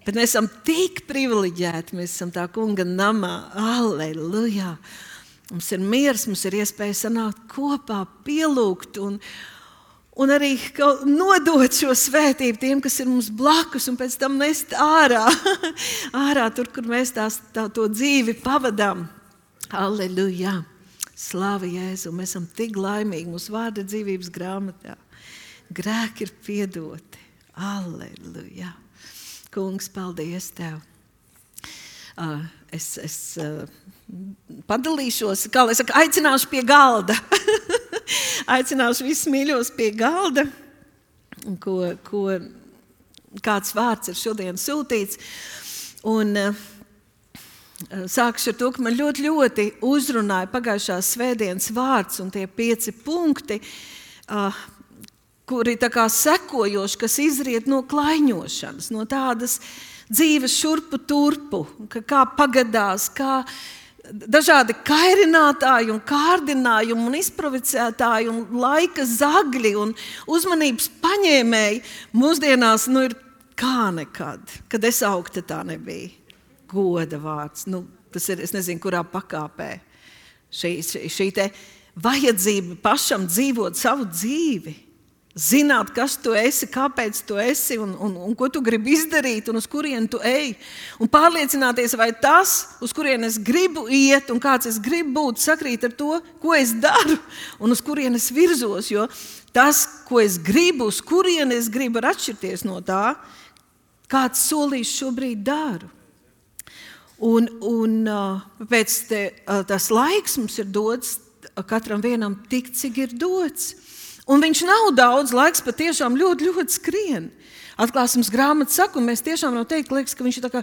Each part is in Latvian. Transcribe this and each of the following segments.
Bet mēs esam tik privileģēti, mēs esam tā kunga namā. Alleluja! Mums ir miers, mums ir iespēja sanākt kopā, pielūgt un arī nodot šo svētību tiem, kas ir mums blakus, un pēc tam nest ārā, ārā tur, kur mēs to dzīvi pavadām. Alleluja! Slāva Jēzu! Mēs esam tik laimīgi, mūsu vārda dzīvības grāmatā. Grēki ir piedoti. Alleluja! Kungs, paldies Tev! Es padalīšos, kā lai saka, aicināšu pie galda. Aicināšu visus mīļos pie galda, kāds vārds ir šodien sūtīts. Un sākšu ar to, ka man ļoti uzrunāja pagājušās svētdienas vārds un tie 5 punkti, kuri tā kā sekojoši, kas izriet no klaiņošanas, no tādas dzīves šurpu turpu, kā pagadās, kā dažādi kairinātāji un kārdinājumi un izprovicētāji un laika zagļi un uzmanības paņēmēji mūsdienās ir kā nekad. Kad es augta, tā nebija. Goda vārds. Tas ir, es nezinu, kurā pakāpē. Šī te vajadzība pašam dzīvot savu dzīvi. Zināt, kas tu esi, kāpēc tu esi un ko tu gribi izdarīt un uz kurienu tu ej. Un pārliecināties, vai tas, uz kurienu es gribu iet un kāds es gribu būt, sakrīt ar to, ko es daru un uz kurienu es virzos. Jo tas, ko es gribu, uz kurienu es gribu, var atšķirties no tā, kāds solījis šobrīd daru. Un pēc tas laiks mums ir dots katram vienam tik, cik ir dots. Un viņš nav daudz laiks, patiešām ļoti skrien. Atklāsmes grāmata saka, un mēs tiešām varam teikt, liekas, ka viņš ir tā kā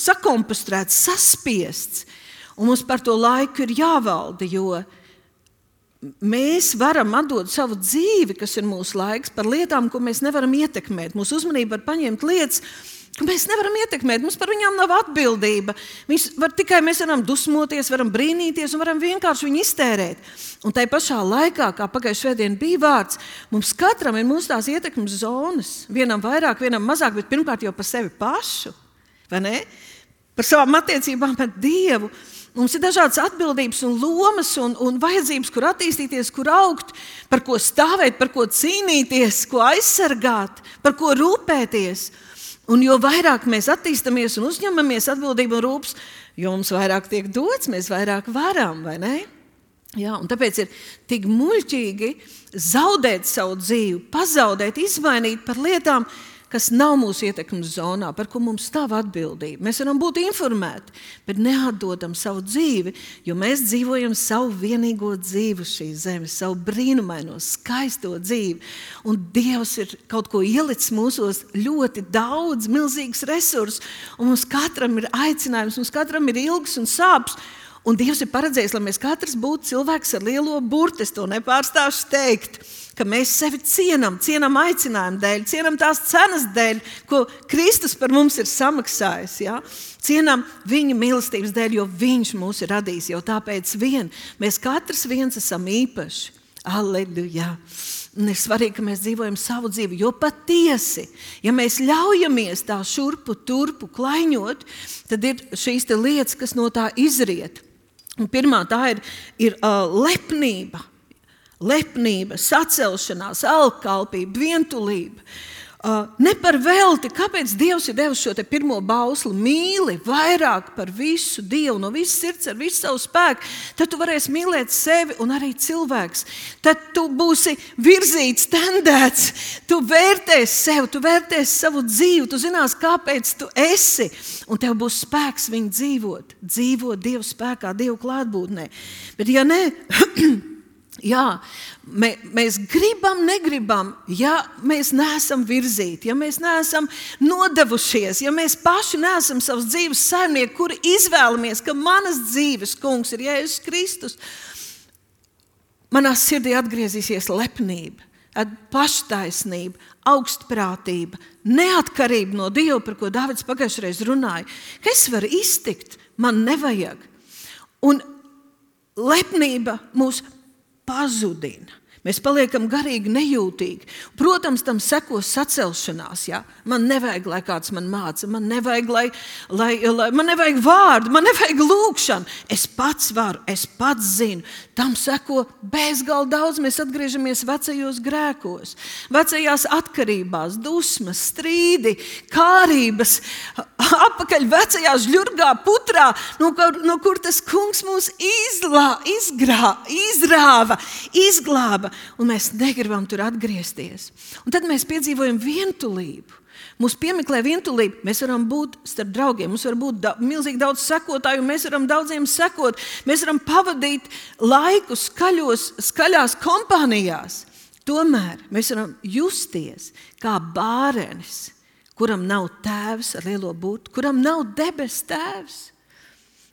sakompostrēts, saspiests. Un mums par to laiku ir jāvalda, jo mēs varam atdot savu dzīvi, kas ir mūsu laiks, par lietām, ko mēs nevaram ietekmēt. Mūsu uzmanība var paņemt lietas, ko mēs nevaram ietekmēt, mums par viņām nav atbildība. Mēs varam dusmoties, varam brīnīties un varam vienkārši viņu iztērēt. Un tai pašā laikā, kā pagājušajā svētdien bija vārds, mums katram ir mūsu tās ietekmes zonas. Vienam vairāk, vienam mazāk, bet pirmkārt jau par sevi pašu, vai ne? Par savām attiecībām ar Dievu. Mums ir dažādas atbildības un lomas un vajadzības, kur attīstīties, kur augt, par ko stāvēt, par ko cīnīties, ko aizsargāt, par ko rūpēties. Un jo vairāk mēs attīstamies un uzņemamies atbildību un rūpes, jo mums vairāk tiek dots, mēs vairāk varam, vai ne? Jā, un tāpēc ir tik muļķīgi zaudēt savu dzīvi, pazaudēt, izmainīt par lietām, kas nav mūsu ietekmes zonā, par ko mums stāv atbildība. Mēs varam būt informēti, bet neatdodam savu dzīvi, jo mēs dzīvojam savu vienīgo dzīvi šīs zemes, savu brīnumaino, skaisto dzīvi. Un Dievs ir kaut ko ielicis mūsos ļoti daudz, milzīgs resursus, un mums katram ir aicinājums, mums katram ir ilgas un sāpes. Un Dievs ir paredzējis, lai mēs katrs būtu cilvēks ar lielo burtu. Es to nepārstāšu teikt, ka mēs sevi cienam aicinājumu dēļ, cienam tās cenas dēļ, ko Kristus par mums ir samaksājis. Ja? Cienam viņa mīlestības dēļ, jo viņš mūs ir radījis, jau tāpēc mēs katrs viens esam īpaši. Alleluja! Un ir svarīgi, ka mēs dzīvojam savu dzīvi, jo patiesi, ja mēs ļaujamies tā šurpu turpu klaiņot, tad ir šīs te lietas, kas no tā izriet. Un pirmā tā ir lepnība, sacelšanās, alkalpība, vientulība. Ne par velti, kāpēc Dievs ir devis šo te pirmo bausli, mīli vairāk par visu Dievu, no visas sirds, ar visu savu spēku, tad tu varēsi mīlēt sevi un arī cilvēks. Tad tu būsi virzīts, tendēts, tu vērtēsi sevi, tu vērtēsi savu dzīvi, tu zinās, kāpēc tu esi, un tev būs spēks viņu dzīvot Dievu spēkā, Dievu klātbūtnē. Bet ja ne... Jā, mēs negribam, ja mēs neesam virzīti, ja mēs neesam nodevušies, ja mēs paši neesam savas dzīves saimnieki, kuri izvēlamies, ka manas dzīves kungs ir Jēzus Kristus, manā sirdī atgriezīsies lepnība, paštaisnība, augstprātība, neatkarība no Dieva, par ko Dāvids pagājušreiz runāja. Ka es varu iztikt, man nevajag. Un lepnība mūs pazudina. Mēs paliekam garīgi nejūtīgi. Protams, tam sekos sacelšanās. Ja? Man nevajag, lai kāds man māca. Man nevajag, man nevajag vārdu, man nevajag lūgšanu. Es pats varu, es pats zinu. Tam seko bezgalīgi daudz. Mēs atgriežamies vecajos grēkos, vecajās atkarībās, dusmas, strīdi, kārības, apakaļ vecajā žļurgā putrā, no kur tas kungs mūs izglāba. Un mēs negribam tur atgriezties. Un tad mēs piedzīvojam vientulību. Mūs piemeklē vientulība. Mēs varam būt starp draugiem, mums var būt milzīgi daudz sekotāju, mēs varam daudziem sekot. Mēs varam pavadīt laiku skaļās kompānijās. Tomēr mēs varam justies kā bārenis, kuram nav tēvs ar lielo burtu, kuram nav debes tēvs.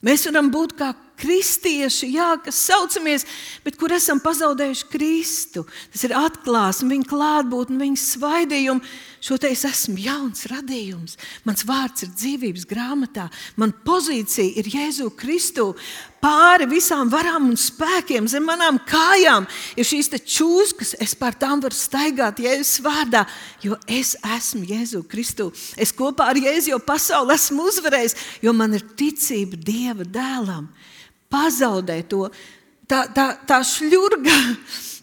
Mēs varam būt kā kristieši, kas saucamies, bet kur esam pazaudējuši Kristu. Tas ir atklāsme, viņa klātbūtne, viņa svaidījumi. Šo te es esmu jauns radījums. Mans vārds ir dzīvības grāmatā. Man pozīcija ir Jēzu Kristu. Pāri visām varām un spēkiem zem manām kājām ir šīs te čūskas. Es pār tām varu staigāt Jēzus vārdā, jo es esmu Jēzu Kristu. Es kopā ar Jēzu jau pasauli esmu uzvarējis, jo man ir ticība Dieva dēlam. Pazaudē to, tā šļurga,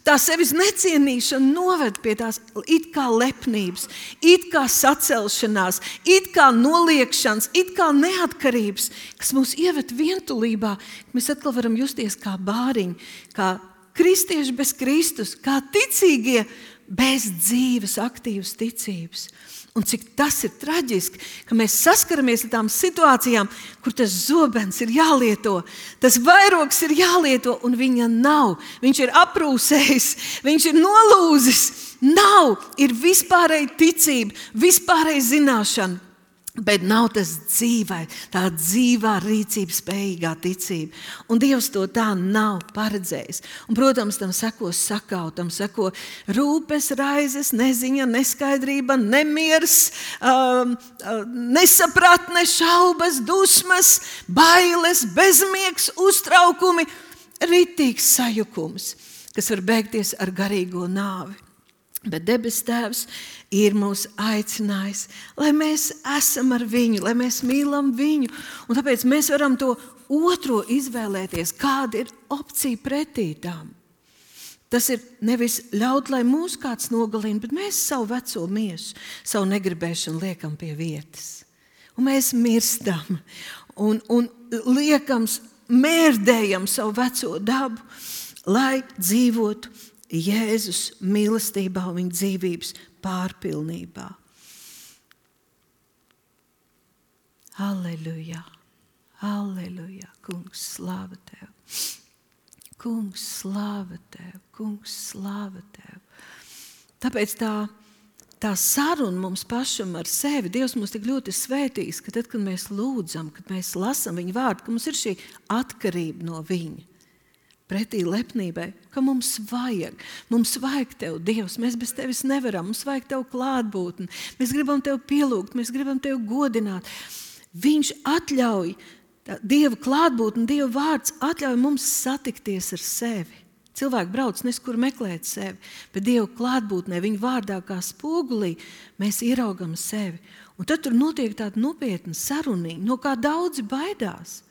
tā sevis necienīšana noved pie tās it kā lepnības, it kā sacelšanās, it kā noliekšanas, it kā neatkarības, kas mūs ieved vientulībā. Mēs atkal varam justies kā bāriņi, kā kristieši bez Kristus, kā ticīgie bez dzīves, aktīvas ticības. Un cik tas ir traģiski, ka mēs saskaramies ar tām situācijām, kur tas zobens ir jālieto, tas vairogs ir jālieto, un viņa nav. Viņš ir aprūsējis, viņš ir nolūzis. Nav, ir vispārēja ticība, vispārēja zināšana. Bet nav tas tā dzīvā rīcība spējīgā ticība. Un Dievs to tā nav paredzējis. Un, protams, tam seko sakau, tam seko rūpes, raizes, neziņa, neskaidrība, nemieris, nesapratne, šaubas, dusmas, bailes, bezmiegs, uztraukumi, ritīgs sajukums, kas var beigties ar garīgo nāvi. Bet debes Tēvs ir mūs aicinājis, lai mēs esam ar viņu, lai mēs mīlam viņu. Un tāpēc mēs varam to otro izvēlēties, kāda ir opcija pretī tām. Tas ir nevis ļaut, lai mūs kāds nogalina, bet mēs savu veco miesu, savu negribēšanu liekam pie vietas. Un mēs mirstam un liekam, mērdējam savu veco dabu, lai dzīvotu Jēzus mīlestībā un viņa dzīvības pārpilnībā. Halleluja, halleluja, kungs, slāva Tev. Kungs, slāva Tev, kungs, slāva Tev. Tāpēc tā saruna mums pašam ar sevi, Dievs mums tik ļoti svētīs, ka tad, kad mēs lūdzam, kad mēs lasam viņa vārdu, ka mums ir šī atkarība no viņa. Pretī lepnībai, ka mums vajag Tev, Dievs, mēs bez Tevis nevaram, mums vajag Tev klātbūtni, mēs gribam Tev pielūgt, mēs gribam Tev godināt. Viņš atļauj, Dieva klātbūtni, Dieva vārds atļauj mums satikties ar sevi. Cilvēki brauc neskur meklēt sevi, bet Dieva klātbūtnē, viņa vārdā kā spogulī, mēs ieraugam sevi. Un tad tur notiek tāda nopietna saruniņa, no kā daudzi baidās.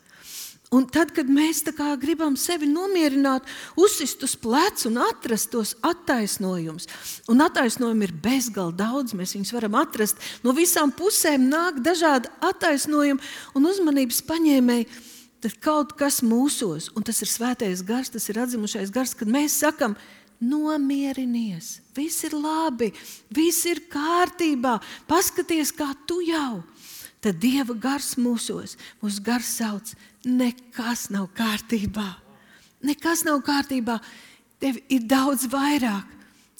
Un tad, kad mēs tā kā gribam sevi nomierināt, uzsist uz plecu un atrast tos attaisnojumus, un attaisnojumi ir bezgalīgi daudz, mēs viņus varam atrast, no visām pusēm nāk dažādi attaisnojumi un uzmanības paņēmēji, tad kaut kas mūsos, un tas ir svētais gars, tas ir atzimušais gars, kad mēs sakam, nomierinies, viss ir labi, viss ir kārtībā, paskaties, kā tu jau. Tad Dieva gars mūsos, mūsu gars sauc, nekas nav kārtībā. Nekas nav kārtībā. Tev ir daudz vairāk.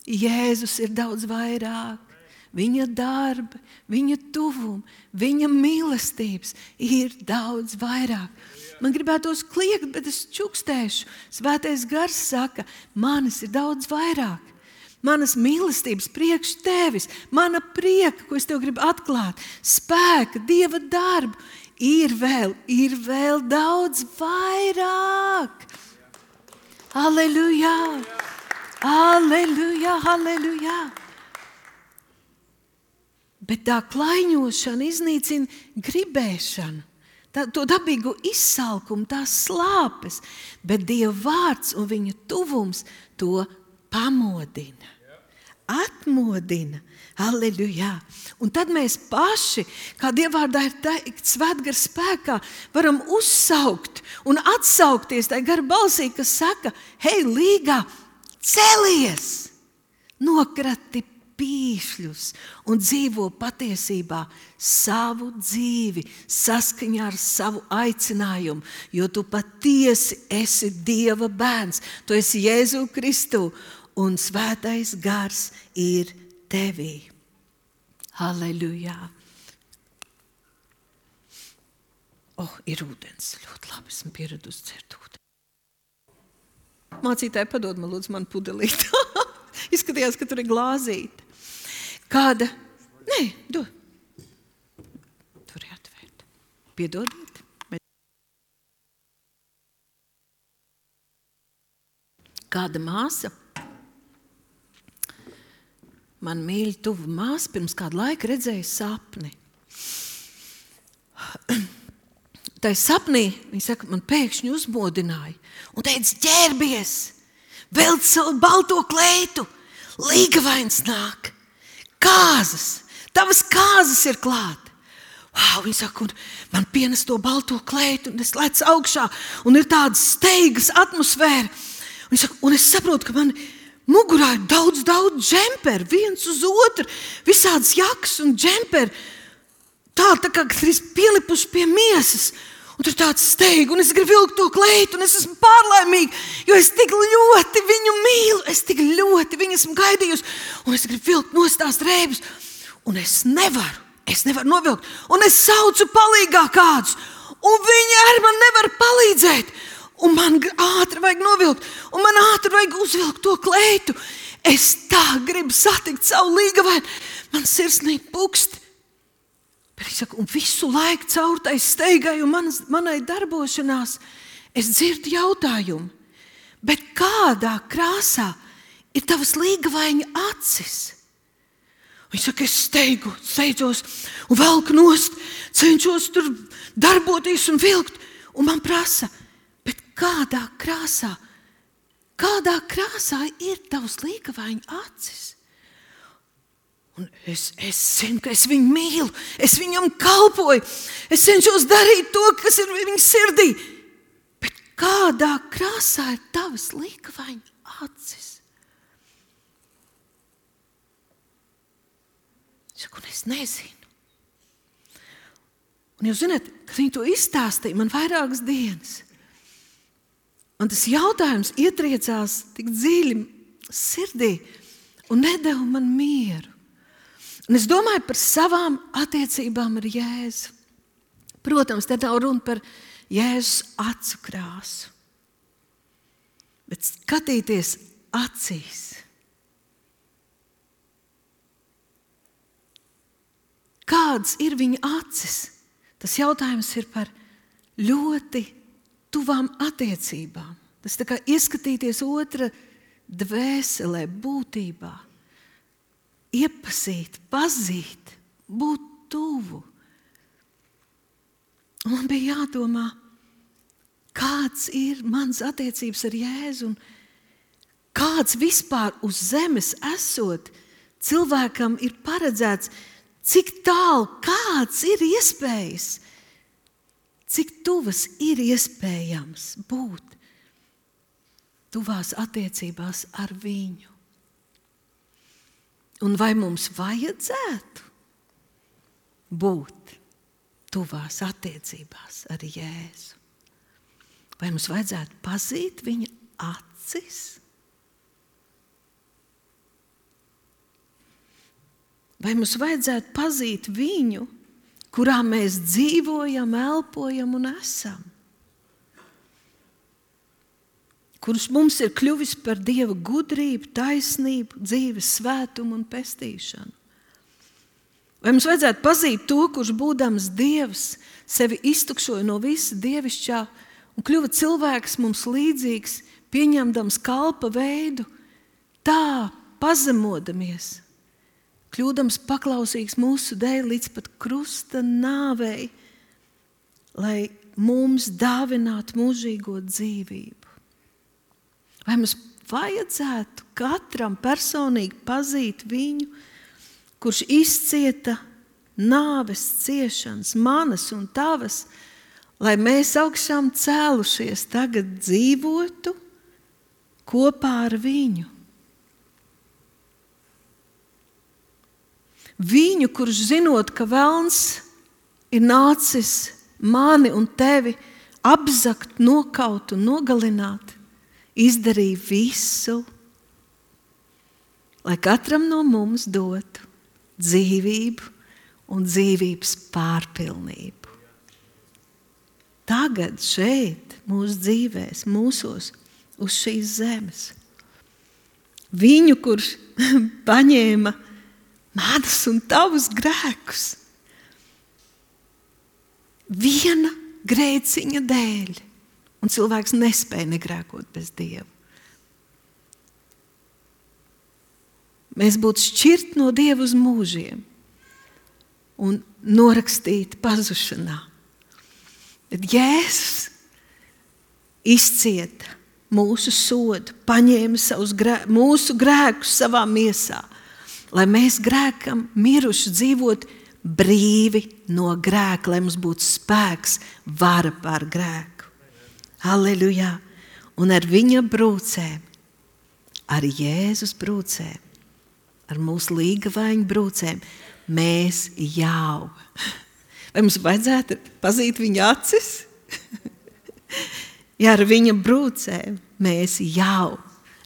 Jēzus ir daudz vairāk. Viņa darba, viņa tuvuma, viņa mīlestības ir daudz vairāk. Man gribētos kliegt, bet es čukstēšu. Svētais gars saka, manis ir daudz vairāk. Manas mīlestības priekš Tevis, mana prieka, ko es Tev gribu atklāt, spēka, Dieva darbu, ir vēl daudz vairāk. Halleluja! Halleluja, halleluja. Bet tā klaiņošana iznīcina gribēšanu, to dabīgo izsalkumu, tās slāpes, bet Dieva vārds un viņa tuvums to pamodina, atmodina. Halleluja. Un tad mēs paši, kā Dieva vārdā ir teikts, svētgara spēkā, varam uzsaukt un atsaukties tai gara balsī, kas saka, hei, līgā, celies, nokrati pīšļus un dzīvo patiesībā savu dzīvi saskaņā ar savu aicinājumu, jo tu patiesi esi Dieva bērns, tu esi Jēzu Kristu un svētais gars ir tevī. Halleluja. Ir ūdens. Ļoti labi, esmu pieradusi dzert ūdeni. Mācītāji, padod man lūdzu man pudelīt. Izskatījās, ka tur ir glāzīte. Kāda? Nē, dod. Tur ir atvērt. Piedodiet. Kāda māsa? Man mīļa tuva māsa pirms kādu laiku redzēja sapni. Tai sapnī, viņa saka, man pēkšņi uzmodināja un teica, ģērbies, velc savu balto kleitu, līgavains nāk, kāzas, tavas kāzas ir klāt. Viņa saka, un man pienes to balto kleitu, un es lecu augšā, un ir tāda steigas atmosfēra. Viņa saka, un es saprotu, ka man mugurā ir daudz džemperu, viens uz otru, visādas jakas un džemperi, tā kā ir pielipuši pie miesas. Un tur tāds steiga, un es gribu vilkt to kleitu, un es esmu pārlaimīga, jo es tik ļoti viņu mīlu, es tik ļoti viņu esmu gaidījusi, un es gribu vilkt nost tās drēbes, un es nevaru novilkt, un es saucu palīgā kādus, un viņi ar man nevar palīdzēt. Un man ātri vajag novilkt, un man ātri vajag uzvilkt to kleitu. Es tā gribu satikt savu līgavainu. Man sirsnīgi pukst. Bet es saku, un visu laiku caur tai steigai un manai darbošanās es dzirdu jautājumu. Bet kādā krāsā ir tavas līgavaiņa acis? Viņš saka, es steidzos un velku nost, cenšos tur darboties un vilkt. Un man prasa, bet kādā krāsā ir tavs līgavaiņa acis? Un es zinu, ka es viņu mīlu, es viņam kalpoju, es cenšos darīt to, kas ir viņa sirdī. Bet kādā krāsā ir tavas līgavaiņa acis? Un es nezinu. Un jūs zināt, kad viņi to izstāstīja man vairākas dienas. Un tas jautājums ietriecās tik dziļi sirdī un nedeva man mieru. Un es domāju par savām attiecībām ar Jēzu. Protams, te nav runa par Jēzus acu krāsu. Bet skatīties acīs. Kādas ir viņa acis? Tas jautājums ir par ļoti tuvām attiecībām. Tas tā kā ieskatīties otra dvēselē, būtībā. Iepazīt, pazīt, būt tuvu. Un man bija jādomā, kāds ir mans attiecības ar Jēzu un kāds vispār uz zemes esot cilvēkam ir paredzēts, cik tālu, kāds ir iespējas, cik tuvas ir iespējams būt tuvās attiecībās ar viņu. Un vai mums vajadzētu būt tuvās attiecībās ar Jēzu? Vai mums vajadzētu pazīt viņa acis? Vai mums vajadzētu pazīt viņu, kurā mēs dzīvojam, elpojam un esam? Kurš mums ir kļuvis par Dieva gudrību, taisnību, dzīves svētumu un pestīšanu? Vai mums vajadzētu pazīt to, kurš būdams Dievs, sevi iztukšoja no visa dievišķā un kļuva cilvēks mums līdzīgs, pieņemdams kalpa veidu, tā pazemodamies, kļūdams paklausīgs mūsu dēļ līdz pat krusta nāvei, lai mums dāvinātu mūžīgo dzīvību. Vai mums vajadzētu katram personīgi pazīt viņu, kurš izcieta nāves ciešanas, manas un tavas, lai mēs augšām cēlušies tagad dzīvotu kopā ar viņu? Viņu, kurš zinot, ka velns ir nācis mani un tevi apzakt, nokaut un nogalināt, izdarīja visu, lai katram no mums dotu dzīvību un dzīvības pārpilnību. Tagad šeit, mūsu dzīvēs, mūsos, uz šīs zemes. Viņu, kurš paņēma manas un tavus grēkus, viena grēciņa dēļ, un cilvēks nespēja negrēkot bez Dieva. Mēs būtu šķirti no Dieva uz mūžiem un norakstīti pazušanā. Bet Jēzus izcieta mūsu sodu, paņēma mūsu grēkus savā miesā, lai mēs grēkam miruši dzīvot brīvi no grēka, lai mums būtu spēks, vara pār grēku. Halleluja! Un ar viņa brūcēm, ar Jēzus brūcēm, ar mūsu līgavaņu brūcēm, mēs jau. Vai mums vajadzētu pazīt viņa acis? Ja ar viņa brūcēm mēs jau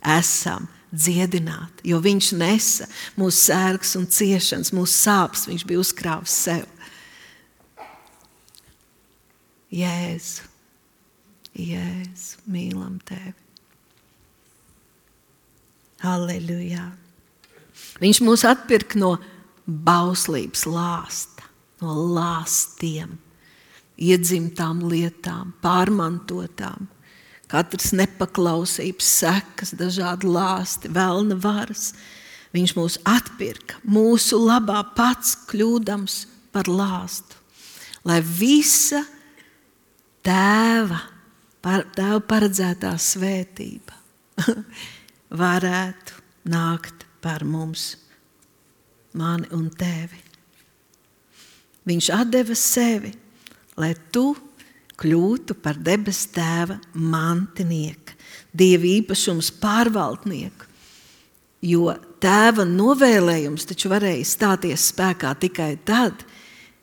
esam dziedināti, jo viņš nesa mūsu sērgas un ciešanas, mūsu sāpes, viņš bija uzkrāvis sev. Jēzu, Jēzu, mīlam tevi. Halleluja! Viņš mūs atpirka no bauslības lāsta, no lāstiem, iedzimtām lietām, pārmantotām, katras nepaklausības sekas, dažādi lāsti, velna varas. Viņš mūs atpirka mūsu labā pats kļūdams par lāstu, lai visa tēva paredzētā svētība varētu nākt par mums, mani un tevi. Viņš atdeva sevi, lai tu kļūtu par debes tēva mantinieku, Dieva īpašums pārvaldnieku, jo tēva novēlējums taču varēja stāties spēkā tikai tad,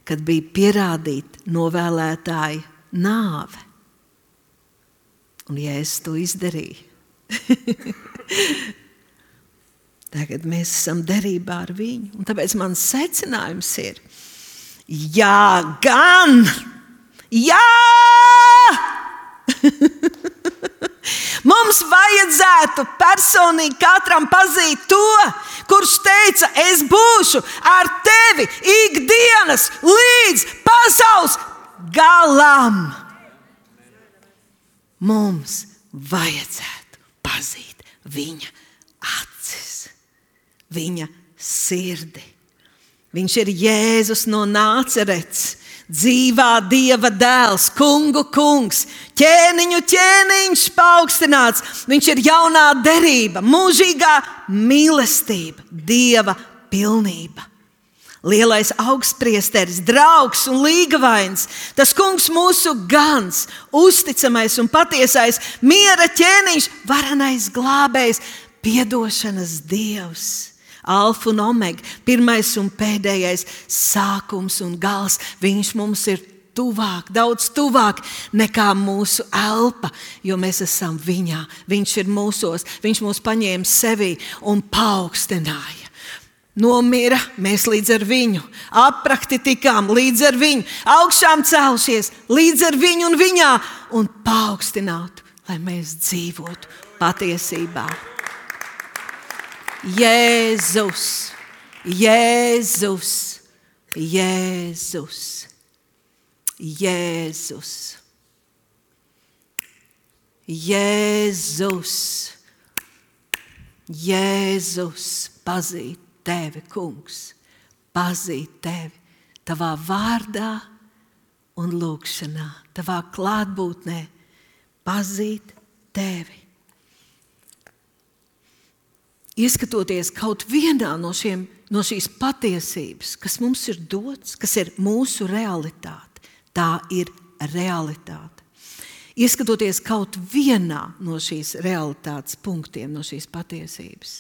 kad bija pierādīta novēlētāja nāve. Un Jēzus to izdarīja. Tagad mēs esam derībā ar viņu. Un tāpēc mans secinājums ir, jā, gan! Jā! Mums vajadzētu personīgi katram pazīt to, kurš teica, es būšu ar tevi ikdienas līdz pasaules galam. Mums vajadzētu pazīt viņa acis, viņa sirdi. Viņš ir Jēzus no Nācerets, dzīvā Dieva dēls, kungu kungs, ķēniņu ķēniņš paaugstināts. Viņš ir jaunā derība, mūžīgā mīlestība, Dieva pilnība. Lielais augstpriesteris, draugs un līgavains, tas kungs mūsu gans, uzticamais un patiesais, miera ķēniņš, varenais glābējs, piedošanas Dievs. Alfa un omega, pirmais un pēdējais, sākums un gals. Viņš mums ir tuvāk, daudz tuvāk nekā mūsu elpa, jo mēs esam viņā. Viņš ir mūsos, viņš mūs paņēma sevī un paaugstināja. Nomira, mēs līdz ar viņu, aprakti tikām līdz ar viņu, augšām celšies līdz ar viņu un viņā un paaugstinātu, lai mēs dzīvotu patiesībā. Jēzus, Jēzus, Jēzus, Jēzus, Jēzus, Jēzus, pazīt tevi, kungs, pazīt tevi tavā vārdā un lūgšanā, tavā klātbūtnē, pazīt tevi. Ieskatoties kaut vienā no šīs patiesības, kas mums ir dots, kas ir mūsu realitāte, tā ir realitāte. Ieskatoties kaut vienā no šīs realitātes punktiem, no šīs patiesības,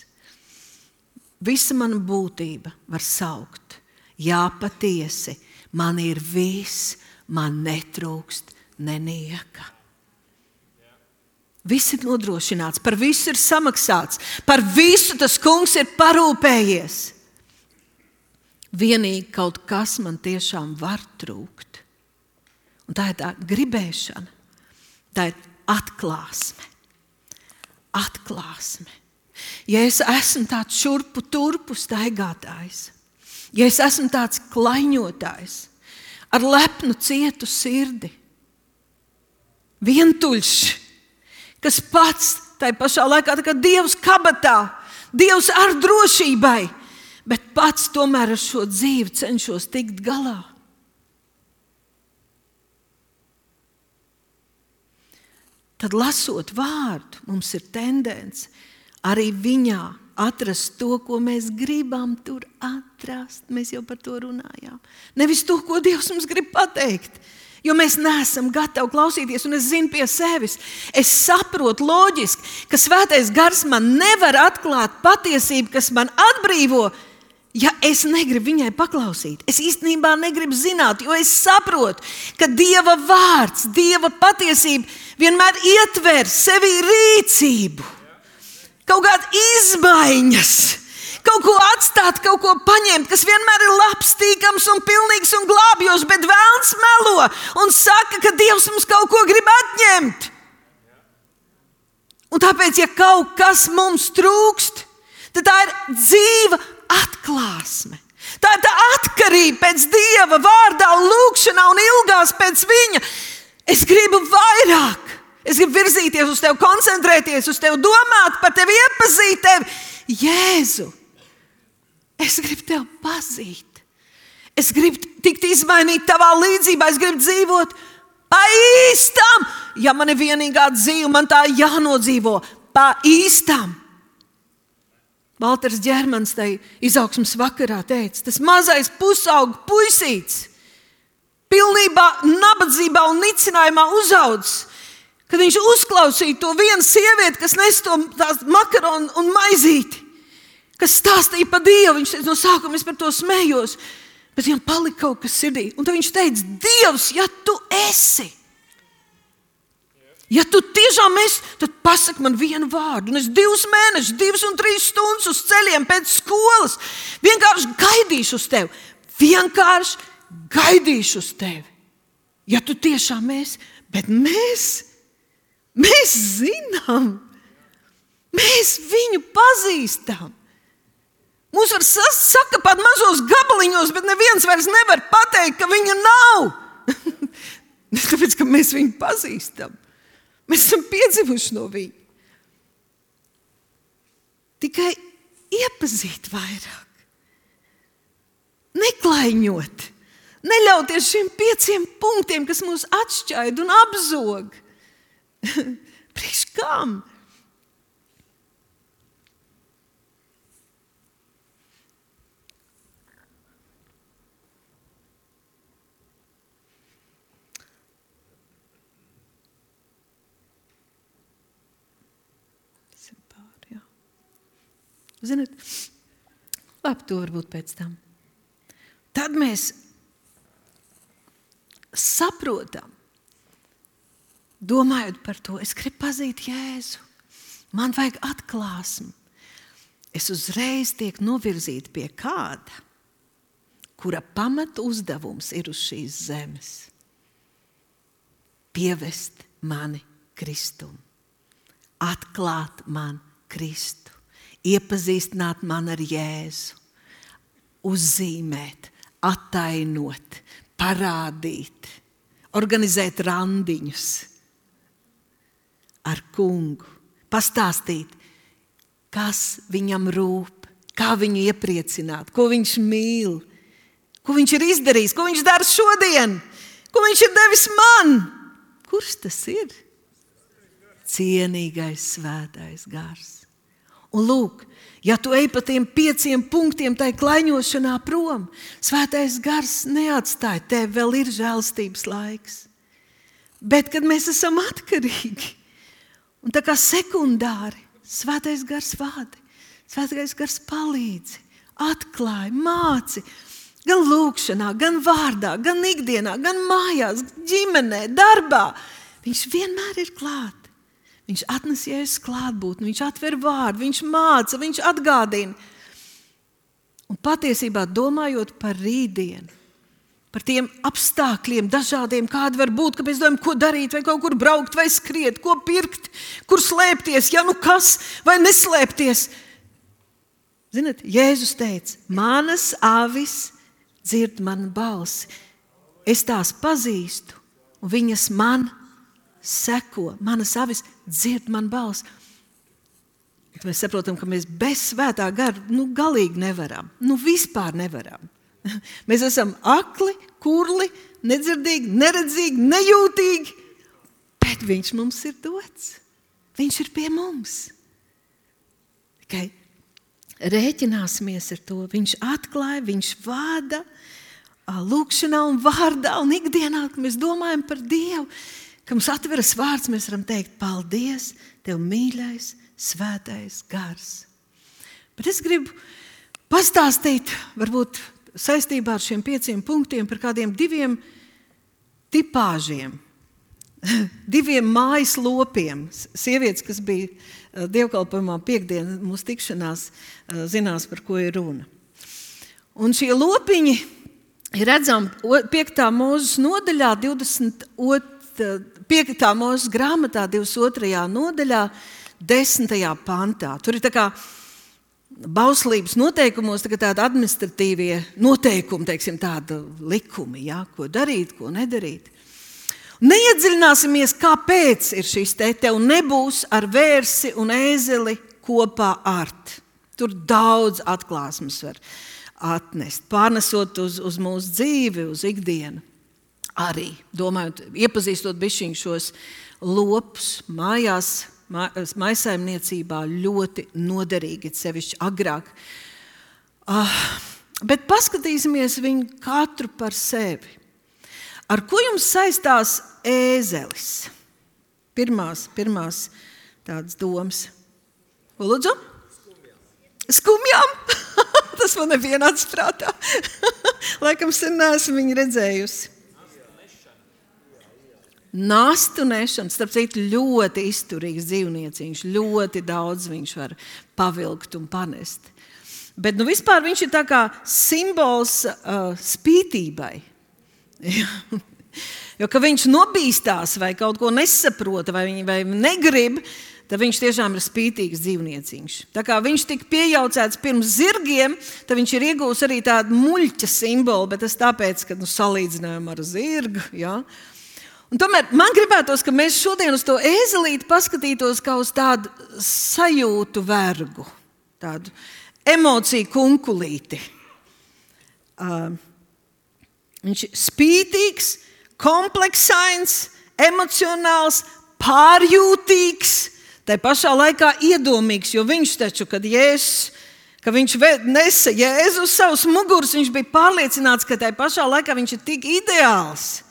visa mana būtība var saukt, jā, patiesi, man ir viss, man netrūkst nenieka. Viss ir nodrošināts, par visu ir samaksāts, par visu tas kungs ir parūpējies. Vienīgi kaut kas man tiešām var trūkt. Un tā ir tā gribēšana, tā ir atklāsme. Atklāsme. Ja es esmu tāds šurpu turpu staigātājs, ja es esmu tāds klaiņotājs, ar lepnu cietu sirdi, vientuļš, kas pats tai pašā laikā tā kā Dievs kabatā, Dievs ar drošībai, bet pats tomēr ar šo dzīvi cenšos tikt galā. Tad lasot vārdu, mums ir tendence arī viņā atrast to, ko mēs gribam tur atrast. Mēs jau par to runājām. Nevis to, ko Dievs mums grib pateikt. Jo mēs neesam gatavi klausīties, un es zinu pie sevis. Es saprotu loģiski, ka Svētais Gars man nevar atklāt patiesību, kas man atbrīvo, ja es negribu viņai paklausīt. Es īstenībā negribu zināt, jo es saprotu, ka Dieva vārds, Dieva patiesība vienmēr ietver sevi rīcību, kaut kādas izmaiņas. Kaut ko atstāt, kaut ko paņemt, kas vienmēr ir labs, tīkams un pilnīgs un glābjošs, bet vēlns melo un saka, ka Dievs mums kaut ko grib atņemt. Un tāpēc, ja kaut kas mums trūkst, tad tā ir dzīva atklāsme. Tā ir tā atkarība pēc Dieva vārdā un lūgšanā un ilgās pēc viņa. Es gribu vairāk. Es gribu virzīties uz tevi, koncentrēties uz tevi, domāt par tevi, iepazīt tevi. Jēzu! Es gribu tevi pazīt. Es gribu tikt izmainīt tavā līdzībā. Es gribu dzīvot pa īstam. Ja man ir vienīgā dzīve, man tā jānodzīvo pa īstam. Valters Ģermans tai izaugsmes vakarā teica, tas mazais pusauga puisīts, pilnībā nabadzībā un nicinājumā uzaudzis, kad viņš uzklausīja to vienu sievieti, kas nes to makaronu un maizīti, kas stāstīja par Dievu. Viņš teica, no sākuma es par to smējos, bet viņam palika kaut kas sirdī. Un tad viņš teica, Dievs, ja tu esi, ja tu tiešām esi, tad pasaki man vienu vārdu. Un es 2 mēnešus, 2 un 3 stundas uz ceļiem pēc skolas vienkārši gaidīšu uz tevi. Vienkārši gaidīšu uz tevi. Ja tu tiešām esi, bet mēs zinām, mēs viņu pazīstam. Mūs var sakapāt mazos gabaliņos, bet neviens vairs nevar pateikt, ka viņa nav. Tāpēc, ka mēs viņu pazīstam. Mēs esam piedzimuši no viņa. Tikai iepazīt vairāk. Neklaiņot. Neļauties šiem 5 punktiem, kas mūs atšķaida un apzog. Priekš kam? Ziniet, labi, to varbūt pēc tam. Tad mēs saprotam, domājot par to, es gribu pazīt Jēzu, man vajag atklāsmi. Es uzreiz tiek novirzīta pie kāda, kura pamata uzdevums ir uz šīs zemes. Pievest mani Kristum, atklāt man Kristu. Iepazīstināt man ar Jēzu, uzzīmēt, attainot, parādīt, organizēt randiņus ar kungu, pastāstīt, kas viņam rūp, kā viņu iepriecināt, ko viņš mīl, ko viņš ir izdarījis, ko viņš dara šodien, ko viņš ir devis man. Kurš tas ir? Cienīgais svētais gars. Un lūk, ja tu ej pa tiem 5 punktiem tai klaiņošanā prom, svētais gars neatstāja tev, vēl ir žēlstības laiks. Bet, kad mēs esam atkarīgi, un tā kā sekundāri, svētais gars vādi, svētais gars palīdzi, atklāja, māci, gan lūkšanā, gan vārdā, gan ikdienā, gan mājās, ģimenē, darbā. Viņš vienmēr ir klāt. Viņš atnes Jēzus klātbūtni, viņš atver vārdu, viņš māca, viņš atgādina. Un patiesībā domājot par rītdienu, par tiem apstākļiem dažādiem, kādi var būt, ka mēs domājam, ko darīt, vai kaut kur braukt, vai skriet, ko pirkt, kur slēpties, ja nu kas, vai neslēpties. Ziniet, Jēzus teica, manas avis dzird manu balsi, es tās pazīstu, un viņas man seko, manas avis dzird manu balsi. Mēs saprotam, ka mēs bez svētā gara galīgi nevaram. Vispār nevaram. Mēs esam akli, kurli, nedzirdīgi, neredzīgi, nejūtīgi, bet viņš mums ir dots. Viņš ir pie mums. Tikai rēķināsimies ar to. Viņš atklāja, viņš vada lūkšanā un vārdā un ikdienā, kad mēs domājam par Dievu, ka mums atveras vārds, mēs varam teikt, paldies, Tev mīļais, svētais gars. Bet es gribu pastāstīt, varbūt saistībā ar šiem 5 punktiem, par kādiem 2 tipāžiem, 2 mājas lopiem. Sievietes, kas bija dievkalpojumā piekdien, mūsu tikšanās, zinās, par ko ir runa. Un šie lopiņi ir redzami 5. Mūzes nodaļā, 5. Mūzes grāmatā, 22. nodaļā, 10. pantā. Tur ir tā kā bauslības noteikumos, tādi administratīvie noteikumi, teiksim, tādi likumi, ja, ko darīt, ko nedarīt. Neiedziļināsimies, kāpēc ir šis tev nebūs ar vērsi un ēzeli kopā art. Tur daudz atklāsmes var atnest, pārnesot uz mūsu dzīvi, uz ikdienu. Arī, domājot, iepazīstot bišķiņu šos lopus mājās, maisaimniecībā ļoti noderīgi, sevišķi agrāk. Bet paskatīsimies viņu katru par sevi. Ar ko jums saistās ēzelis? Pirmās tādas domas. Ko lūdzu? Skumjām? Tas man nebija nācis prātā. Laikam sen neesmu viņu redzējusi. Nastu nešana, starp citu, ļoti izturīgs dzīvnieciņš, ļoti daudz viņš var pavilkt un panest. Bet vispār viņš ir tā kā simbols spītībai. Jo, ka viņš nobīstās vai kaut ko nesaprota vai negrib, tad viņš tiešām ir spītīgs dzīvnieciņš. Tā kā viņš tika piejaucēts pirms zirgiem, tad viņš ir iegūs arī tādu muļķa simbolu, bet tas tāpēc, ka salīdzinājām ar zirgu, ja. Un tomēr man gribētos, ka mēs šodien uz to ēzelīti paskatītos kā uz tādu sajūtu vergu, tādu emociju kunkulīti. Viņš ir spītīgs, kompleksains, emocionāls, pārjūtīgs, tai pašā laikā iedomīgs, jo viņš taču, kad viņš nesa Jēzu uz savus muguras, viņš bija pārliecināts, ka tai pašā laikā viņš ir tik ideāls,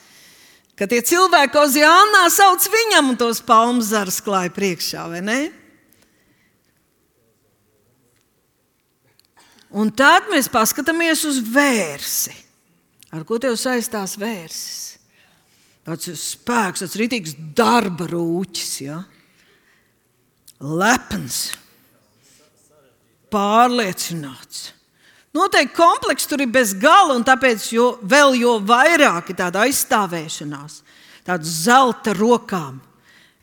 ka tie cilvēki Oziānā sauc viņam un tos palmu zarus klāja priekšā, vai ne? Un tad mēs paskatāmies uz vērsi. Ar ko tev saistās vērsis? Tāds spēks, tāds ritīgs darba rūķis, ja? Lepns, pārliecināts. Noteikti komplekss tur ir bez gala, un tāpēc jo vairāk ir tāda aizstāvēšanās, tāda zelta rokām.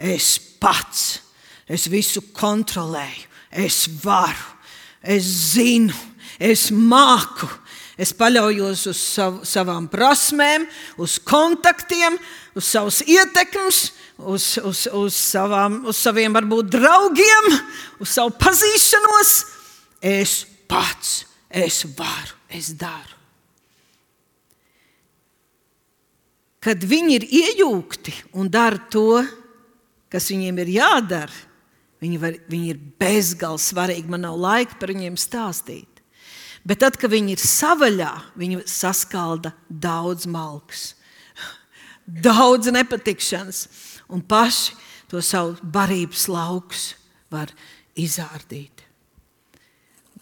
Es pats, es visu kontrolēju, es varu, es zinu, es māku, Es paļaujos uz savām prasmēm, uz kontaktiem, uz savas ietekmes, uz saviem varbūt draugiem, uz savu pazīšanos. Es pats, es varu, es daru. Kad viņi ir iejūgti un dara to, kas viņiem ir jādara, viņi ir bezgalīgi svarīgi. Man nav laika par viņiem stāstīt. Bet tad, kad viņi ir savaļā, viņi saskalda daudz malkas, daudz nepatikšanas un paši to savu barības laukus var izārdīt.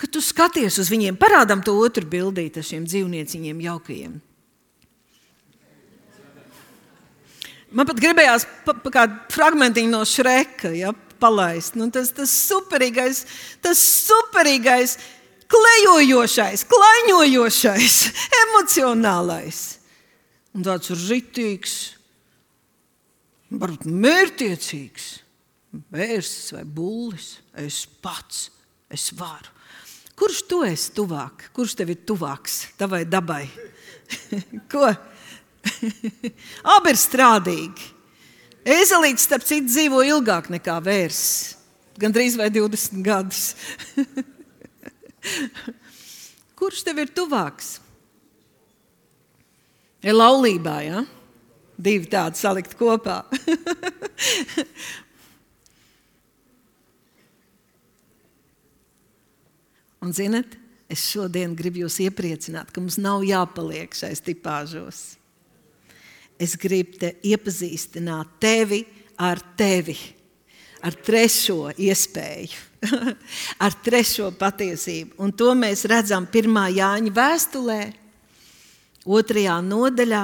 Kad tu skaties uz viņiem, parādām to otru bildīti ar šiem dzīvnieciņiem jaukajiem. Man pat gribējās kādu fragmentiņu no Šreka, palaist. Tas superīgais, klejojošais, klaiņojošais, emocionālais. Un tāds ritīgs, varbūt mērķtiecīgs vērsis vai bullis. Es pats, es varu. Kurš tu esi tuvāk? Kurš tev ir tuvāks tavai dabai? Ko? Abi ir strādīgi. Ēzelītis, starp citu, dzīvo ilgāk nekā vērsis. Gandrīz vai 20 gadus. Kurš tev ir tuvāks? Ir laulībā, ja? Divi tādi salikt kopā. Un zinat, es šodien gribu jūs iepriecināt, ka mums nav jāpaliek šais tipāžos. Es gribu te iepazīstināt tevi, ar trešo iespēju, ar trešo patiesību. Un to mēs redzam 1. Jāņa vēstulē, 2. nodaļā,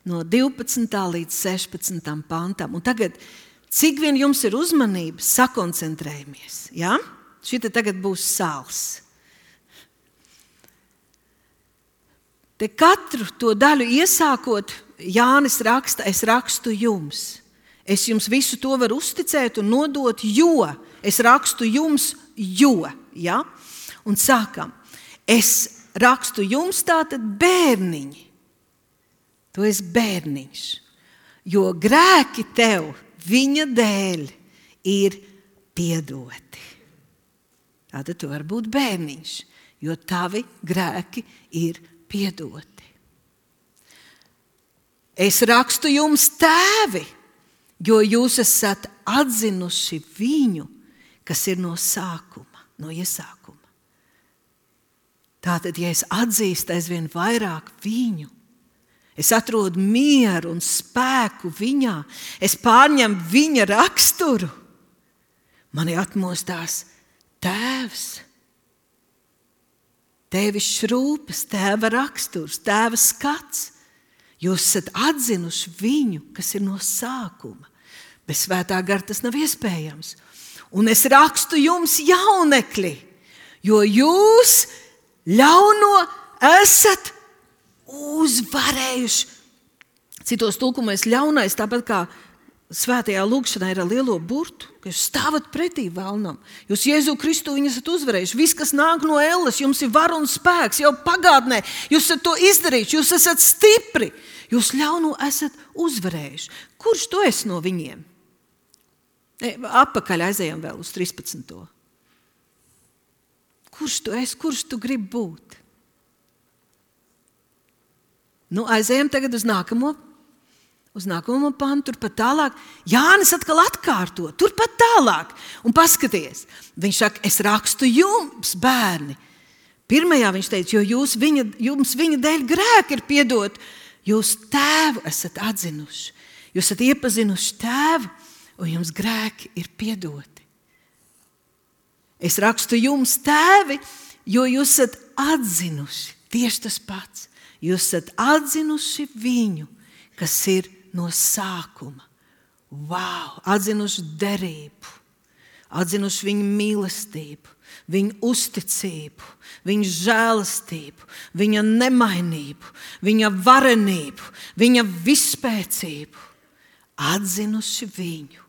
no 12. līdz 16. pantam. Un tagad, cik vien jums ir uzmanība, sakoncentrējamies. Ja? Šita tagad būs sāls. Te katru to daļu iesākot, Jānis raksta, es rakstu jums. Es jums visu to varu uzticēt un nodot, jo. Es rakstu jums, jo. Ja? Un sākam. Es rakstu jums tātad bērniņi. Tu esi bērniņš. Jo grēki tev viņa dēļ ir piedoti. Tātad tu vari būt bērniņš, jo tavi grēki ir piedoti. Es rakstu jums tēvi, jo jūs esat atzinuši viņu, kas ir no sākuma, no iesākuma. Tātad, ja es atzīstu aizvien vairāk viņu, es atrodu mieru un spēku viņā, es pārņemu viņa raksturu, mani atmostās tēvs. Tēvišķs rūpes, tēva raksturs, tēva skats. Jūs esat atzinuši viņu, kas ir no sākuma. Bez svētā gara tas nav iespējams. Un es rakstu jums, jaunekļi, jo jūs ļauno esat uzvarējuši. Citos tulkumos ļaunais, tāpat kā svētajā lūgšanā ir ar lielo burtu, ka jūs stāvat pretī vēlnam. Jūs Jēzu Kristu viņu esat uzvarējuši. Viss, kas nāk no elles, jums ir vara un spēks jau pagātnē. Jūs esat to izdarījuši, jūs esat stipri. Jūs ļauno esat uzvarējuši. Kurš tu esi no viņiem? Atpakaļ aizējām vēl uz 13. Kurš tu esi? Kurš tu gribi būt? Aizējām tagad uz nākamo pantu, turpat tālāk. Jānis atkal atkārto, turpat tālāk. Un paskaties, viņš saka, es rakstu jums, bērni. Pirmajā viņš teica, jo jums viņa dēļ grēki ir piedot. Jūs tēvu esat atzinuši. Jūs esat iepazinuši tēvu, un jums grēki ir piedoti. Es rakstu jums tēvi, jo jūs esat atzinuši. Tieši tas pats. Jūs esat atzinuši viņu, kas ir no sākuma. Wow! Atzinuši derību, atzinuši viņu mīlestību, viņa uzticību, viņa žēlastību, viņa nemainību, viņa varenību, viņa vispēcību. Atzinuši viņu.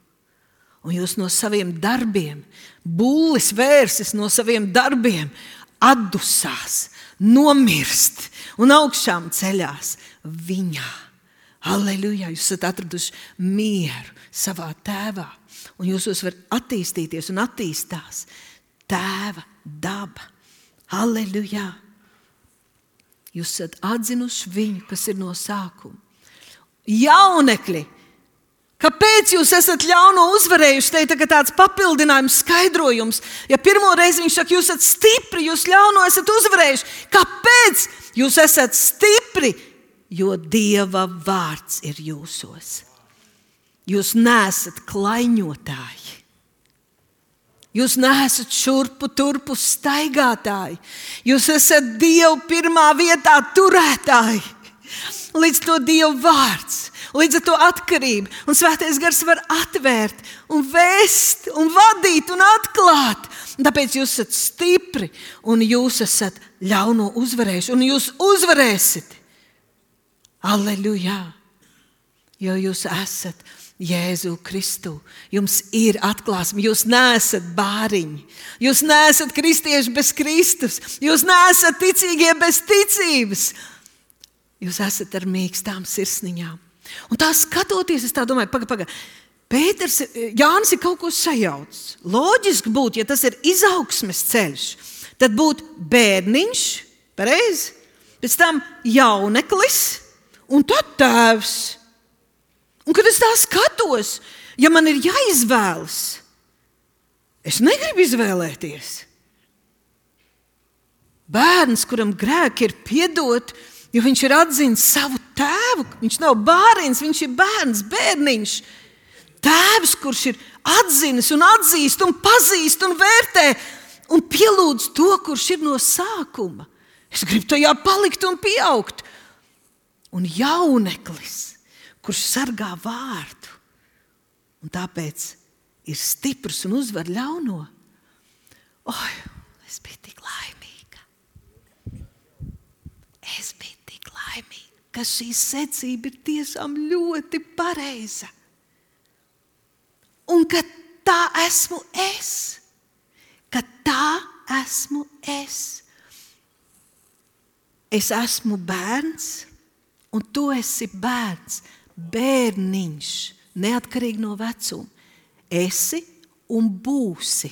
Un jūs no saviem darbiem, bullis vērsis no saviem darbiem, atdusās, nomirst un augšām ceļās viņā. Halleluja, jūs esat atraduši mieru savā tēvā. Un jūsos var attīstīties un attīstās tēva daba. Halleluja. Jūs esat atzinuši viņu, kas ir no sākuma. Jaunekļi, kāpēc jūs esat ļauno uzvarējuši? Te ir tagad tāds papildinājums, skaidrojums. Ja pirmo reizi viņš saka, jūs esat stipri, jūs ļauno esat uzvarējuši. Kāpēc jūs esat stipri? Jo Dieva vārds ir jūsos. Jūs neesat klaiņotāji. Jūs neesat šurpu turpu staigātāji. Jūs esat Dievu pirmā vietā turētāji. Līdz to Dieva vārds, līdz ar to atkarību. Un Svētais Gars var atvērt un vēst un vadīt un atklāt. Un tāpēc jūs esat stipri un jūs esat ļauno uzvarējuši. Un jūs uzvarēsiet. Alleluja! Jo jūs esat Jēzu Kristu. Jums ir atklāsme. Jūs neesat bāriņi. Jūs neesat kristieši bez Kristus. Jūs neesat ticīgie bez ticības. Jūs esat ar mīkstām sirsniņām. Un tā skatoties, es tā domāju, paga. Jānis ir kaut ko sajaucis. Loģiski būtu, ja tas ir izaugsmes ceļš, tad būtu bērniņš, pareizi, pēc tam jauneklis, un tad tēvs. Un, kad es tā skatos, ja man ir jāizvēlas, es negribu izvēlēties. Bērns, kuram grēki ir piedot, jo viņš ir atzinis savu tēvu. Viņš nav bērns, viņš ir bērns, bērniņš. Tēvs, kurš ir atzinis un atzīst un pazīst un vērtē un pielūdz to, kurš ir no sākuma. Es gribu tajā palikt un pieaugt. Un jauneklis, kurš sargā vārdu un tāpēc ir stiprs un uzvar ļauno. Es biju tik laimīga. Ka šī secība ir tiešām ļoti pareiza. Un ka tā esmu es. Ka tā esmu es. Es esmu bērns. Un tu esi bērns, bērniņš, neatkarīgi no vecuma. Esi un būsi,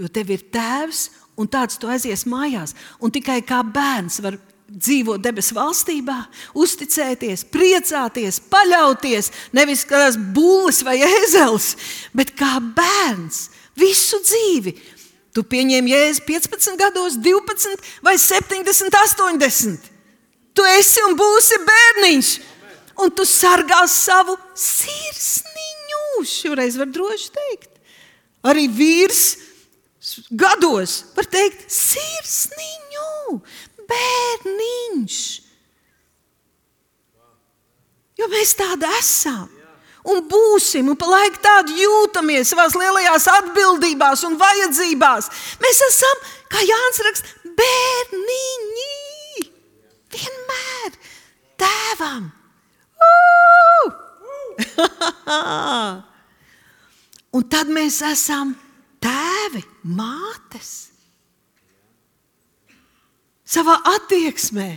jo tev ir tēvs un tāds tu aizies mājās. Un tikai kā bērns var dzīvot debesu valstībā, uzticēties, priecāties, paļauties, nevis kā bullis vai ēzels, bet kā bērns visu dzīvi. Tu pieņēmi Jēzu 15 gados, 12 vai 70, 80. Tu esi un būsi bērniņš, un tu sargās savu sirsniņu. Šoreiz var droši teikt. Arī vīrs gados var teikt sirsniņu, bērniņš. Jo mēs tādi esam. Un būsim, un pa laiku tādi jūtamies savās lielajās atbildībās un vajadzībās. Mēs esam, kā Jānis raksta, bērniņi. Vienmēr tēvam. Un tad mēs esam tēvi, mātes. Savā attieksmē,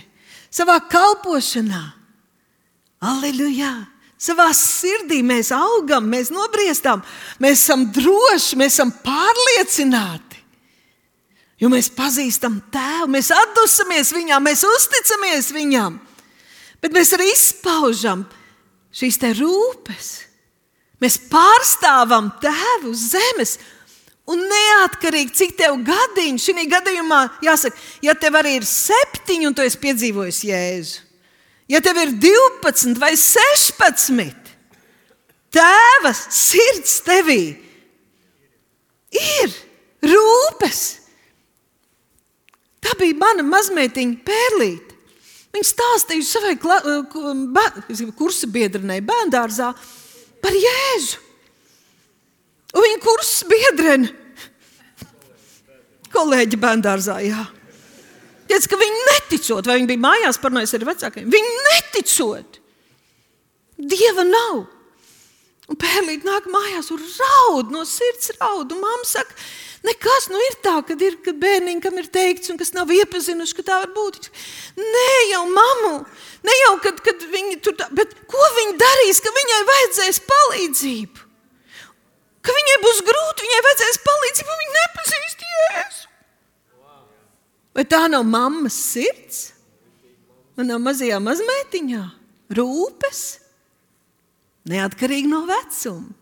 savā kalpošanā. Alleluja! Savā sirdī mēs augam, mēs nobriestām, mēs esam droši, mēs esam pārliecināti. Jo mēs pazīstam tēvu, mēs atdusamies viņam, mēs uzticamies viņam. Bet mēs arī izpaužam šīs te rūpes. Mēs pārstāvam tēvu uz zemes. Un neatkarīgi, cik tev gadiņi, šī gadījumā jāsaka, ja tev arī ir 7 un tu esi piedzīvojis Jēzu. Ja tev ir 12 vai 16, tēva sirds tevī ir rūpes. Tā bija mana mazmeitiņa Pērlīte. Viņa stāstīja savai kursa biedrenei bērndārzā par Jēzu. Un viņa kursa biedrene, kolēģi bērndārzā, jā. Teica, ka viņi neticot, vai viņi bija mājās parunājis ar vecākajiem. Viņi neticot. Dieva nav. Un Pērlīte nāk mājās un raud, no sirds raud. Un mamma saka, Nekas ir tā, kad bērniņi, kam ir teikts un kas nav iepazinuši, ka tā var būt. Nē, jau mammu, ne jau, kad viņi tur tā, bet ko viņi darīs, ka viņai vajadzēs palīdzību? Ka viņai būs grūti, viņai vajadzēs palīdzību, un viņa nepazīst Jēzu. Vai tā nav mammas sirds? Manā mazajā mazmeitiņā rūpes, neatkarīgi no vecuma.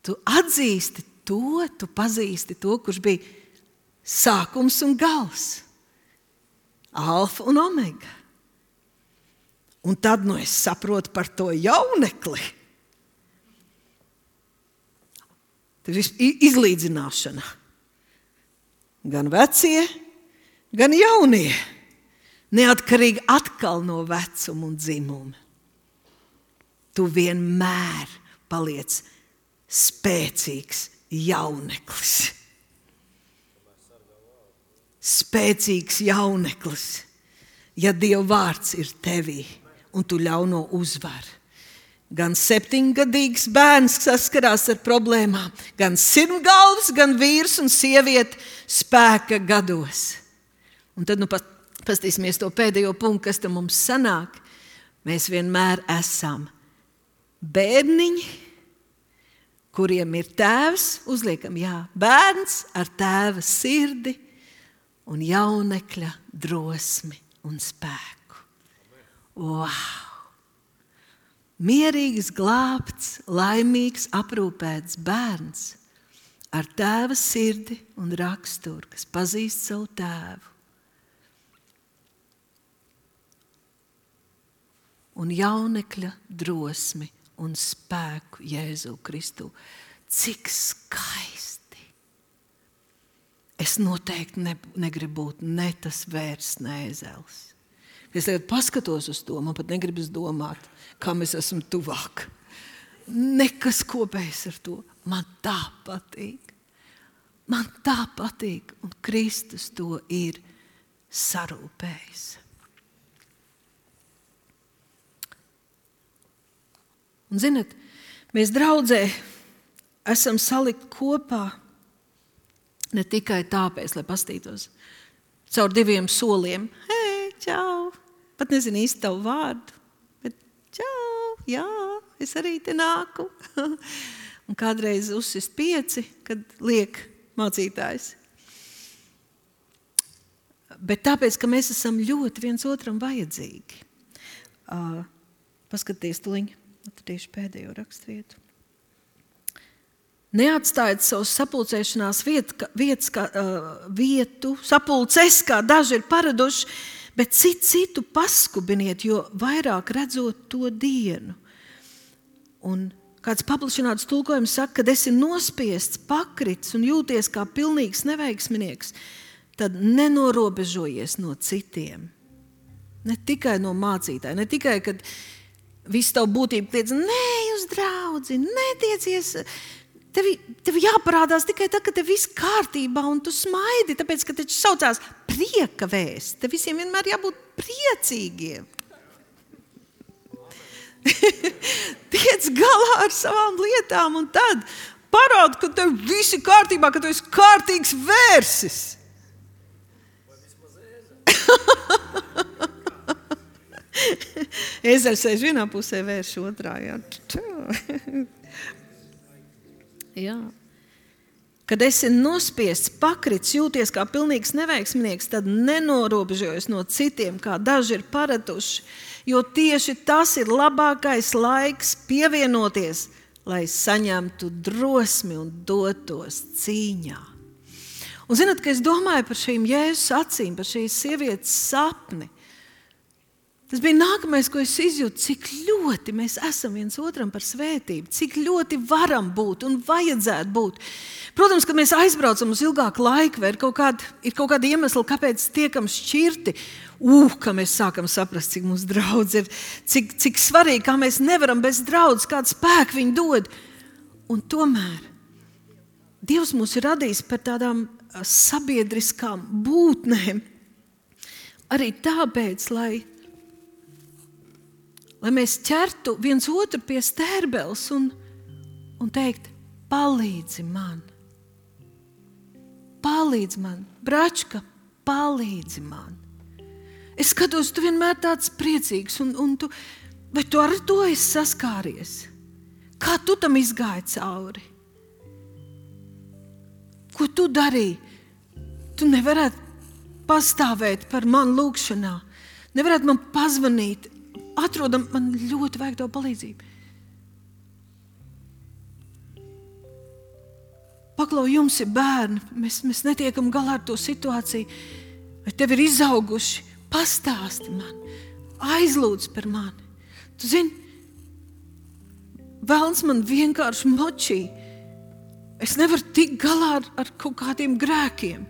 Tu atzīsti to, tu pazīsti to, kurš bija sākums un gals, alfa un omega. Un tad es saprotu par to jaunekli. Tas ir izlīdzināšana. Gan vecie, gan jaunie. Neatkarīgi atkal no vecuma un dzimuma. Tu vienmēr paliec spēcīgs jauneklis. Spēcīgs jauneklis, ja Dieva vārds ir tevī un tu ļauno uzvar. Gan 7-gadīgs bērns saskarās ar problēmām, gan sirmgalvs, gan vīrs un sieviete spēka gados. Un tad pastīsimies to pēdējo punktu, kas tam mums sanāk. Mēs vienmēr esam bērniņi, kuriem ir tēvs, uzliekam, bērns ar tēva sirdi un jaunekļa drosmi un spēku. Wow! Mierīgs, glābts, laimīgs, aprūpēts bērns ar tēva sirdi un raksturu, kas pazīst savu tēvu. Un jaunekļa drosmi un spēku Jēzu Kristu. Cik skaisti! Es noteikti negribu būt ne tas vērs, ne ezels. Es tagad paskatos uz to, man pat negribas domāt, kam es esmu tuvāk. Nekas kopējs ar to. Man tā patīk. Man tā patīk, un Kristus to ir sarūpējis. Un zinat, mēs draudzē esam salikti kopā ne tikai tāpēc, lai pastītos caur 2 soliem. Hei, čau! Pat nezinu īsti tavu vārdu, bet čau, jā, es arī te nāku. Un kādreiz uzsist 5, kad liek mācītājs. Bet tāpēc, ka mēs esam ļoti viens otram vajadzīgi. Paskaties tuliņ. Atradīšu pēdējo rakstvietu. Neatstājiet savus sapulcēšanās vietu, sapulces, kā daži ir paraduši, bet citu paskubiniet, jo vairāk redzot to dienu. Un kāds paplašināts tulkojums saka, kad esi nospiests, pakrits un jūties kā pilnīgs neveiksminieks, tad nenorobežojies no citiem. Ne tikai no mācītāja, ne tikai, kad visu tavu būtību kliedz, nē, uz draudzi, netiecies. Tev jāparādās tikai tad, kad tev viss kārtībā un tu smaidi, tāpēc, ka taču saucās prieka vēsts. Te visiem vienmēr jābūt priecīgiem. Tiec galā ar savām lietām un tad parāda, ka tev viss ir kārtībā, ka tu esi kārtīgs vērsis. Ezeļs sēž vienā pusē, vērš otrā. Jā. Kad esi nospiests, pakrits, jūties kā pilnīgs neveiksminieks, tad nenorobežojies no citiem, kā daži ir paraduši, jo tieši tas ir labākais laiks pievienoties, lai saņemtu drosmi un dotos cīņā. Un zināt, ka es domāju par šīm Jēzus acīm, par šīs sievietes sapni. Tas bija nākamais, ko es izjūtu, cik ļoti mēs esam viens otram par svētību, cik ļoti varam būt un vajadzētu būt. Protams, kad mēs aizbraucam uz ilgāku laiku, vai ir kaut kāda iemesla, kāpēc tiekam šķirti, ka mēs sākam saprast, cik mums draudz ir, cik svarīgi, kā mēs nevaram bez draudzes, kādu spēku viņi dod. Un tomēr Dievs mūs ir radījis par tādām sabiedriskām būtnēm, arī tāpēc, lai mēs ķertu viens otru pie stērbeles un teikt, palīdzi man. palīdzi man, Bračka, palīdzi man. Es skatos, tu vienmēr tāds priecīgs, un vai tu ar to esi saskāries? Kā tu tam izgāji cauri? Ko tu darīji? Tu nevarētu pastāvēt par mani lūgšanā, nevarētu man pazvanīt, atrodam, man ļoti vajag tavu palīdzību. Paklau, jums ir bērni, mēs netiekam galā ar to situāciju, vai tev ir izauguši, pastāsti man, aizlūdz par mani. Tu zini, velns man vienkārši močī, es nevaru tikt galā ar kaut kādiem grēkiem.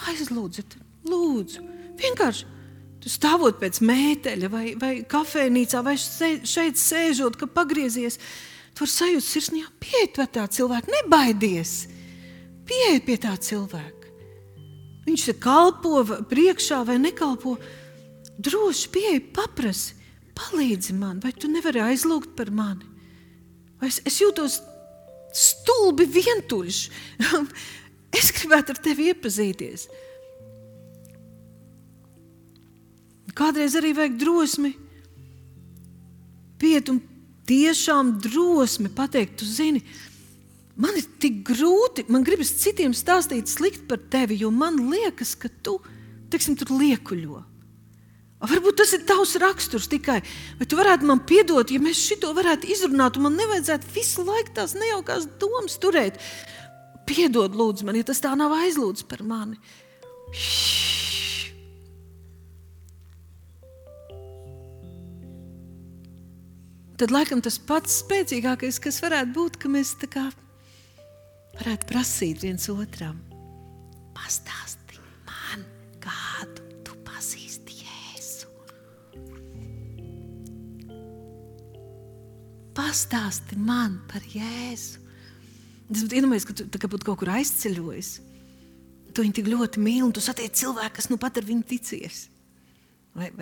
Aizlūdziet, lūdzu, vienkārši tu stāvot pēc mēteļa vai kafejnīcā vai šeit sēžot, ka pagriezies, tu vari sajust sirsnījā, pieeja pie tā cilvēka, nebaidies, pieeja pie tā cilvēka. Viņš te kalpo priekšā vai nekalpo, droši pieeja, paprasi, palīdzi man, vai tu nevari aizlūgt par mani? Vai es jūtos stulbi vientuļš, es gribētu ar tevi iepazīties. Kādreiz arī vajag drosmi piet un tiešām drosmi pateikt, tu zini, man ir tik grūti, man gribas citiem stāstīt slikt par tevi, jo man liekas, ka tu, teiksim, tur liekuļo. Varbūt tas ir tavs raksturs tikai, vai tu varētu man piedot, ja mēs šito varētu izrunāt, un man nevajadzētu visu laiku tās nejaukās domas turēt. Piedod, lūdzu man, ja tas tā nav aizlūdz par mani. Tad laikam tas pats spēcīgākais, kas varētu būt, ka mēs tā kā varētu prasīt viens otram. Pastāsti man, kādu tu pazīsti Jēzu. Pastāsti man par Jēzu. Es iedomājos, ka tu tā kā būtu kaut kur aizceļojis. Tu viņu tik ļoti mīli, un tu satiec cilvēku, kas nu pat ar viņu ticies. Vai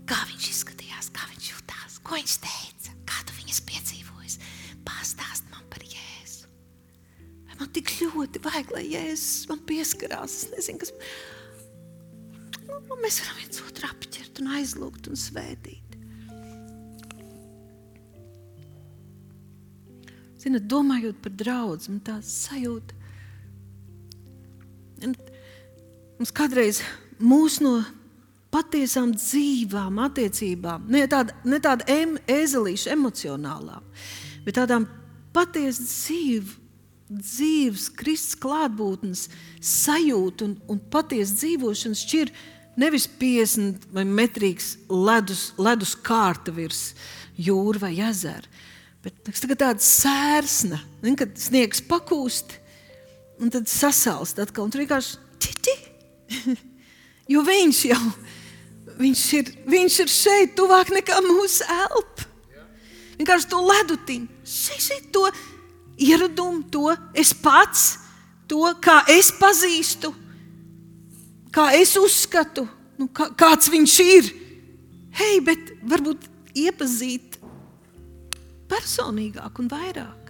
kā viņš izskatījās, kā viņš jutās, ko viņš teica, kā tu viņas piedzīvojis. Pastāst man par Jēzu. Vai man tik ļoti vajag, lai Jēzus man pieskarās. Es nezinu, kas... Mēs varam viens otru apķert un aizlūgt un svētīt. Zināt, domājot par draudzi, man tā sajūta. Mums kādreiz mūs no patiesām dzīvām attiecībām, ne tāda ēzelīša emocionālām, bet tādām patiesi dzīves Kristus klātbūtnes sajūta un patiesi dzīvošanas šķir nevis 50 vai metrīgs ledus kārta virs jūra vai ezera, bet tāda sērsna, kad sniegs pakūst un tad sasalst atkal, un tur vienkārši čiči. Jo viņš ir šeit tuvāk nekā mūsu elpa. Vienkārši to ledutiņu, šeit to ieradumu, to es pats, to, kā es pazīstu, kā es uzskatu, kāds viņš ir. Hei, bet varbūt iepazīt personīgāk un vairāk.